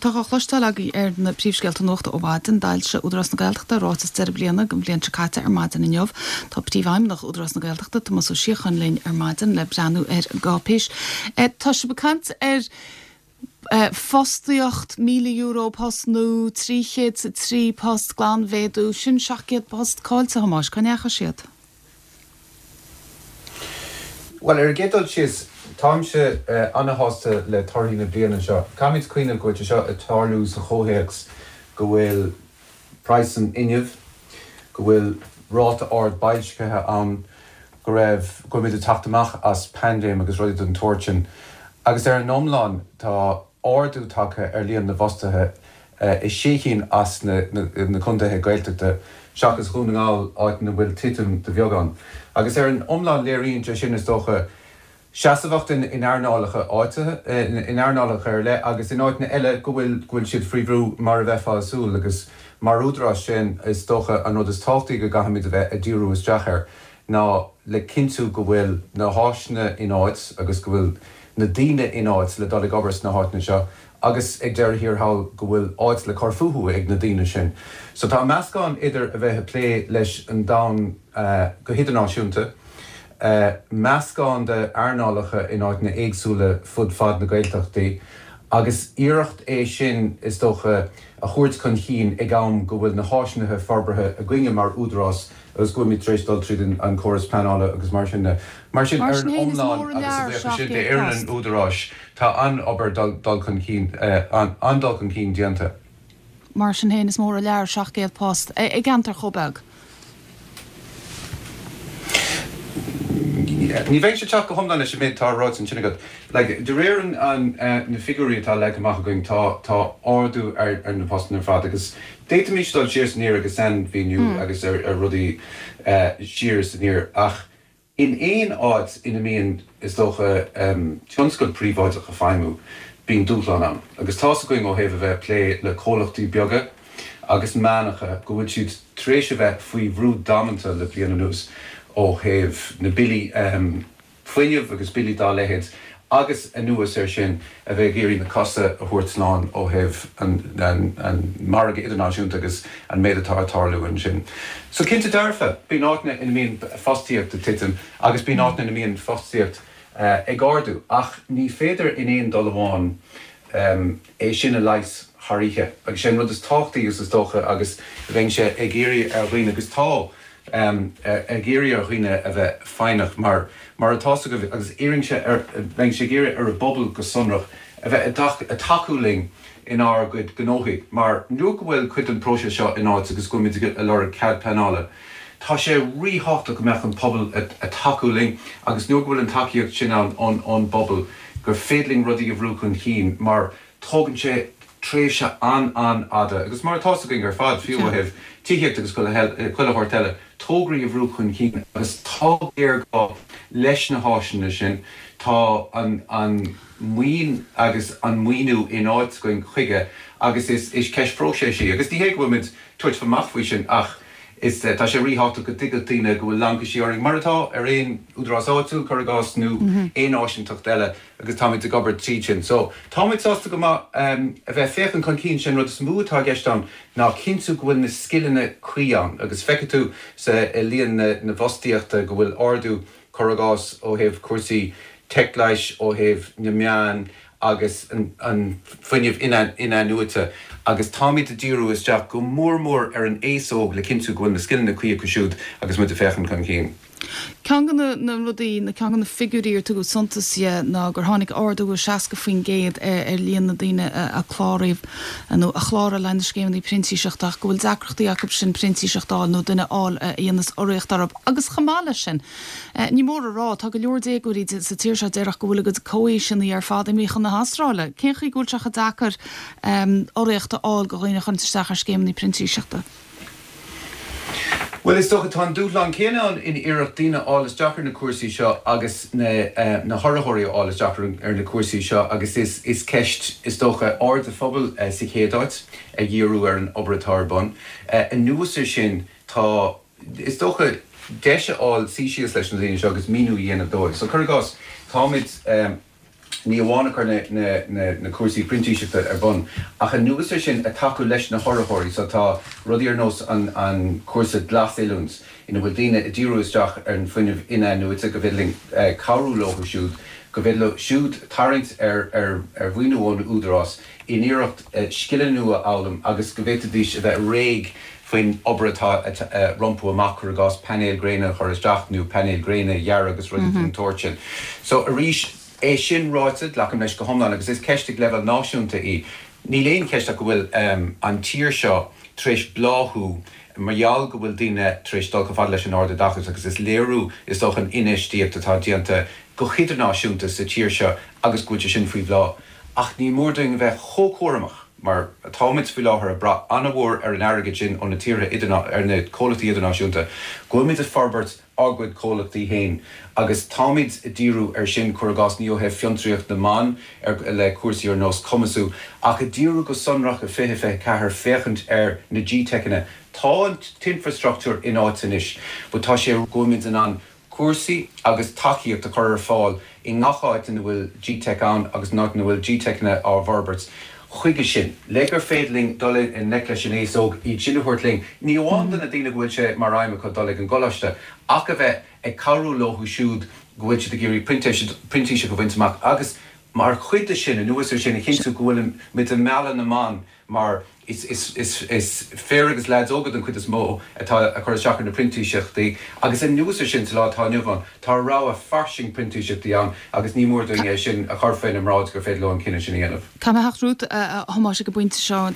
atá á chloisteáil agaibh ar na príomhscéalta nuachta ó mhaidin, d'fhoilsigh Údarás na Gaeltachta a ráiteas deireadh bliana don bhliain seo caite ar maidin inniu. Tá Príomhfheidhmeannach Údarás na Gaeltachta, Tomás Ó Síocháin linn ar maidin le breathnú ar an gcáipéis. Tá sibh ag caint ar fostaíocht, €1,000 post nua, 303 post glanmhéadú, sin 700 post caillte, a Thomáis, cá ndeachaigh siad? Bhuel, ar an gcéad dul síos, táimse ana-shásta le torthaí na bliana seo. Caithfimid cuimhneamh go bhfuil sé seo ag tarlú sa chomhthéacs go bhfuil praghas an fhuinnimh, go bhfuil ráta ard boilscithe ann, go raibh, go bhfuilimid ag teacht amach as paindéim agus rudaí den tsórt sin. Agus ar an iomlán, tá ardú tagtha ar líon na bhfostaithe i sé chinn as na contaetha Gaeltachta, seachas Dhún na nGall, áit ina bhfuil titim de bheagán. Agus ar an iomlán léiríonn sé sin, is dócha, seasmhacht in earnálacha áitithe, in earnálacha ar leith agus in áiteanna eile go bhfuil go bhfuil siad faoi bhrú mar a bheifeá ag súil. Agus mar údarás, sin, is dócha, an rud is tábhachtaí go gcaithfimid a bheith ag díriú isteach air ná le cinntiú go bhfuil na háiseanna in áit agus go bhfuil na daoine in áit le dul ag obair sna háiteanna seo agus ag deireadh thiar thall go bhfuil áit le cur fúthu ag na daoine sin. So tá meascán idir a bheith ag plé leis an domhan go hidirnáisiúnta, meascán de earnálacha in áiteanna éagsúla fud fad na Gaeltachtaí agus iarracht é sin is dócha a thabhairt chun chinn ag am go bhfuil na háiseanna forbartha againne mar údarás agus go bhfuilimid tar éis dul tríd an córas pleanála agus mar sin de. Mar sin, Mar ar sin an féin, is iomlán, mór an agus a lear bhuíochas sin 700 d'fhoireann an post. Údaráis, tá an-obair dul chun cinn, an-dul chun cinn déanta. Mar sin féin, is mór an lear 700 post i gceantar chomh beag. Ní bheinnse ag teacht go hiomlán leis an méid atá ráite ansin agat. Like, de réir an, na figiúirí atá leagtha amach againn, tá, tá ardú ar, ar na postanna ar fad agus d'fhéadfaimis dul siar is aniar agus sainmhíniú agus ar, ar rudaí siar is aniar ach in aon áit ina mbíonn, is dócha, tionscal príobháideach ag feidhmiú, bíonn dúshlán ann. Agus tá's againn ó thaobh a bheith ag plé le comhlachtaí beaga agus meánacha go bhfuil siad tar éis a bheith faoi bhrú damanta le bliain anuas ó thaobh na billí fuinnimh agus billí dá leithéid agus anuas air sin a bheith ag iarraidh na cosa a thabhairt slán ó thaobh an margadh idirnáisiúnta agus an méid atá ag tarlú ansin. So cinnte dearfa, bíonn áiteanna ina mbíonn fostaíocht ag titim agus bíonn áiteanna ina mbíonn fostaíocht ag ardú ach ní féidir in aon dul amháin é sin a leigheas thar oíche agus sé an rud is tábhachtaí agus is dócha agus bheinnse ag iarraidh ar dhaoine agus tá ag iarraidh ar dhaoine a bheith foighneach mar, mar atá's agaibh agus iarrainnse ar, bheinnse ag iarraidh ar an bpobal go sonrach a bheith ag tacú linn inár gcuid gnóthaí mar nuair go bhfuil cuid den próiseas seo in áit agus go bhfuilimid ag lorg cead pleanála tá sé ríthábhachtach go mbeadh an pobal ag tacú linn agus nuair go bhfuil an tacaíocht sin ann ón bpobal gur féidir linn rudaí a bhrú chun cinn mar tógann sé tréimhse an-an-fhada agus mar atá's againn ar fad, fiú ó thaobh tithíocht agus chuile shórt eile, tograí a bhrú chun cinn agus tá géarghá leis na háiseanna sin, tá an an maoin agus an maoiniú in áit againn chuige agus is is ceist phróiseas í agus ní hé go bhfuilimid tabhairt amach faoi sin ach is tá sé ríthábhachtach go dtuigfeadh daoine go bhfuil laincisí orainn mar atá ar aon údarás áitiúil, cuir i gcás, nó aon áisinteacht eile. agus táimid ag obair tríd sin. So, táimid sásta go maith a bheith féachaint chun cinn, sé an rud is mó atá i gceist ann ná cinntiú go bhfuil na scileanna cuí ann agus feicfidh tú sa i líon na na bhfostaíochta go bhfuil ardú, cuir i gcás, ó thaobh cúrsaí teicleighis, ó thaobh na meán agus an an fuinneamh in-athnuaite agus táimid ag díriú isteach go mór mór ar an aos óg le cinntiú go bhfuil na scileanna cuí acu siúd agus muid ag féachaint chun cinn. Ceann de na rudaí, nó ceann de na figiúirí ar tugadh suntas dhe ná gur tháinig ardú 60% ar líon na ndaoine a cláraíodh nó a chláraigh le haghaidh na scéimeanna printíseachta ach go bhfuil deacrachtaí acu sin printíseacht a fháil nó duine a fháil a dhéanfas urraíocht orthu. Agus chomh maith leis sin, ní mór a rá, tá go leor déagóirí sa tír seo déarfadh go bhfuil a gcuid comhaoiseanna ar fad imithe chun na hAstráile. Cén chaoi go bhfuil sé chomh deacair urraíocht a fháil do dhaoine a chuireanns isteach ar scéimeanna printíseachta? Bhuel, is dócha, tá an dúshlán céanna ann in iarracht daoine a fháil isteach ar na cúrsaí seo agus na na hurraitheoirí a fháil isteach ar na cúrsaí seo agus is is ceist, is dócha, aird an phobail sa chéad áit a dhíriú ar an obair atá ar bun. Anuas ar sin, tá, is dócha, deis a fháil suí síos leis na daoine seo agus míniú a dhéanamh dóibh. So, cuir i gcás, táimid. Ní amháin ag cur na cúrsaí printíseachta ar bun, ach anuas ar sin ag tacú leis na hurraitheoirí. So tá rudaí ar nós an cúrsa Glas-Oiliúint ina bhfuil daoine ag díriú isteach ar an fuinneamh in-athnuaite go bhféidir linn cabhrú leo siúd, go bhféidir leo siúd tarraingt ar mhaoiniú ón Údarás in iarracht scileanna nua a fhoghlaim agus go bhféadfaidís a bheith réidh faoin obair atá rompu amach, cuir i gcás painéil gréine a chur isteach nó painéil gréine a dhearadh agus rudaí den tsórt sin. So arís, é sin ráite, glacaim leis go hiomlán agus is ceist ag leibhéal náisiúnta í. Níl aon cheist ach go bhfuil an tír seo tar éis bláthú mar gheall go bhfuil daoine tar éis dul chomh fada leis an ardoideachas agus is léiriú is dócha an infheistíocht atá déanta go hidirnáisiúnta sa tír seo agus go bhfuil sé sin faoi bhláth. Ach ní mór dúinn a bheith chomh cúramach mar atáimid faoi láthair ag brath an-mhór ar an airgead sin ó na tíortha ar na comhlachtaí idirnáisiúnta, go bhfuilimid ag forbairt ár gcuid comhlachtaí féin agus táimid ag díriú ar sin, cuir i gcás, ní ó thaobh fiontraíocht na mban ar le cúrsaí ar nós Cumasú, ach ag díriú go sonrach i 2024 féachaint ar na GTeiceanna. Tá an t-infreastruchtúr in áit anois but tá sé go bhfuilimid in ann cúrsaí agus tacaíocht a chur ar fáil i ngach áit ina bhfuil GTeic ann agus in áit ina bhfuil GTeiceanna á bhforbairt. Chuige sin, le gur féidir linn dul i ngleic leis an aos óg, iad sin a thabhairt linn, ní amháin do na daoine go bhfuil sé mar aidhm acu dul ag an gcoláiste, ach a bheith ag cabhrú leo siúd go bhfuil siad ag iarraidh printíseach a bhaint amach agus mar chuid de sin, anuas ar sin, a chinntiú go bhfuilimid ag mealladh na mban mar is fir agus leaids óga den chuid is mó atá ag cur isteach ar na printíseachtaí agus anuas ar sin sa lá atá inniu ann tá rogha fairsing printíseachtaí ann agus ní mór dúinn é sin a chur faoina mbráid gur féidir leo an cinneadh sin a dhéanamh. Caithfidh mé theacht romhat, a Thomáis, ag an bpointe seo.